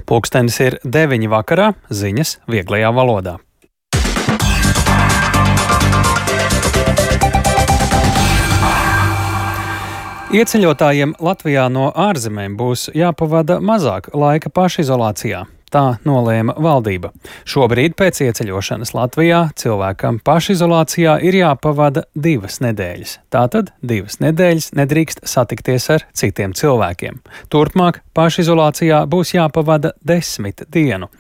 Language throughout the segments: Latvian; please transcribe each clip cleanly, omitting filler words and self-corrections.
Pulkstenis ir 9 vakarā, ziņas vieglajā valodā. Ieceļotājiem Latvijā no ārzemēm būs jāpavada mazāk laika pašizolācijā. Tā nolēma valdība. Šobrīd pēc ieceļošanas Latvijā cilvēkam pašizolācijā ir jāpavada 2 nedēļas. Tātad 2 nedēļas nedrīkst satikties ar citiem cilvēkiem. Turpmāk pašizolācijā būs jāpavada 10 dienu.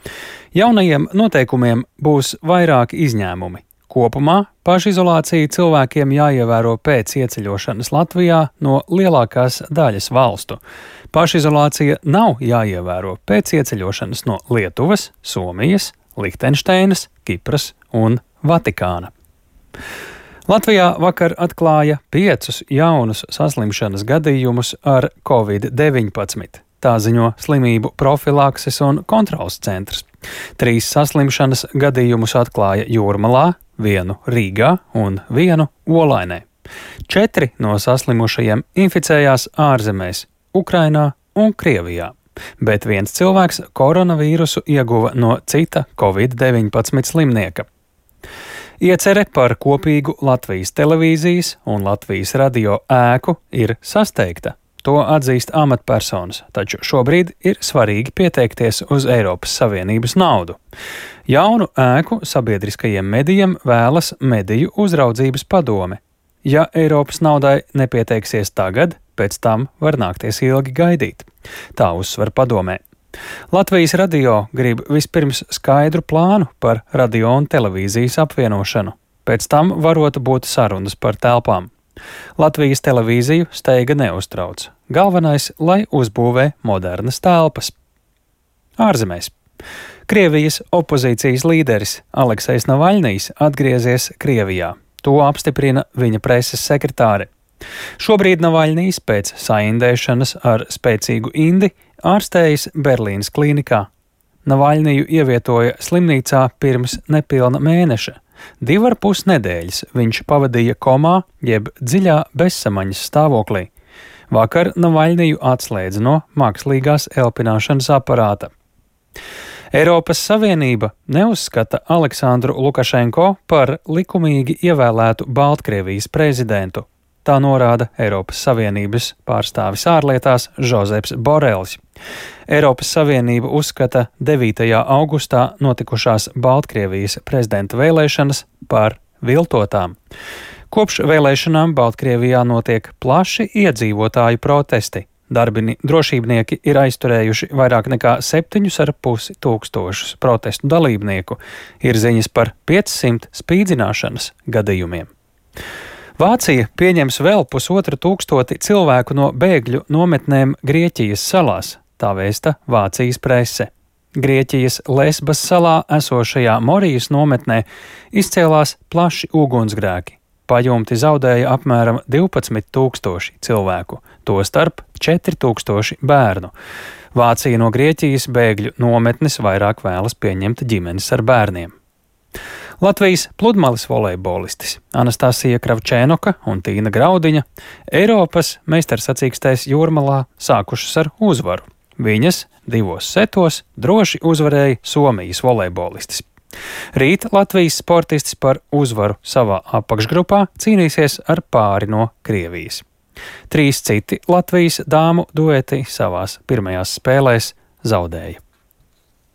Jaunajiem noteikumiem būs vairāki izņēmumi. Kopumā pašizolācija cilvēkiem jāievēro pēc ieceļošanas Latvijā no lielākās daļas valstu. Pašizolācija nav jāievēro pēc ieceļošanas no Lietuvas, Somijas, Lihtenšteinas, Kipras un Vatikāna. Latvijā vakar atklāja 5 jaunus saslimšanas gadījumus ar Covid-19. Tā ziņo Slimību profilakses un kontroles centrs. 3 saslimšanas gadījumus atklāja Jūrmalā, 1 Rīgā un 1 Olainē. 4 no saslimušajiem inficējās ārzemēs – Ukrainā un Krievijā, bet 1 cilvēks koronavīrusu ieguva no cita Covid-19 slimnieka. Iecere par kopīgu Latvijas televīzijas un Latvijas radio ēku ir sasteigta. To atzīst amatpersonas, taču šobrīd ir svarīgi pieteikties uz Eiropas Savienības naudu. Jaunu ēku sabiedriskajiem medijiem vēlas Mediju uzraudzības padome. Ja Eiropas naudai nepieteiksies tagad, pēc tam var nākties ilgi gaidīt. Tā uzsver padomē. Latvijas radio grib vispirms skaidru plānu par radio un televīzijas apvienošanu. Pēc tam varota būt sarunas par telpām. Latvijas televīziju steiga neuztrauc. Galvenais, lai uzbūvē modernas telpas. Ārzemēs. Krievijas opozīcijas līderis Aleksejs Navaļnijs atgriezies Krievijā. To apstiprina viņa preses sekretāre. Šobrīd Navaļnijs pēc saindēšanas ar spēcīgu indi ārstējas Berlīnas klīnikā. Navaļniju ievietoja slimnīcā pirms nepilna mēneša. 2,5 nedēļas viņš pavadīja komā jeb dziļā bezsamaņas stāvoklī. Vakar Navaļniju atslēdza no mākslīgās elpināšanas aparāta. Eiropas Savienība neuzskata Aleksandru Lukašenko par likumīgi ievēlētu Baltkrievijas prezidentu. Tā norāda Eiropas Savienības pārstāvis ārlietās Žozeps Borelis. Eiropas Savienība uzskata 9. augustā notikušās Baltkrievijas prezidenta vēlēšanas par viltotām. Kopš vēlēšanām Baltkrievijā notiek plaši iedzīvotāju protesti. Drošībnieki ir aizturējuši vairāk nekā 7,5 tūkstošus protestu dalībnieku. Ir ziņas par 500 spīdzināšanas gadījumiem. Vācija pieņems vēl 1,5 cilvēku no bēgļu nometnēm Grieķijas salās, tā vēsta Vācijas prese. Grieķijas Lesbas salā esošajā Morijas nometnē izcēlās plaši ugunsgrēki. Pajumti zaudēja apmēram 12,000 cilvēku, tostarp 4,000 bērnu. Vācija no Grieķijas bēgļu nometnes vairāk vēlas pieņemt ģimenes ar bērniem. Latvijas pludmales volejbolistis Anastasija Kravčēnoka un Tīna Graudiņa Eiropas meistarsacīkstēs Jūrmalā sākušas ar uzvaru. Viņas 2 setos droši uzvarēja Somijas volejbolistis. Rīt Latvijas sportistis par uzvaru savā apakšgrupā cīnīsies ar pāri no Krievijas. 3 citi Latvijas dāmu dueti savās pirmajās spēlēs zaudēja.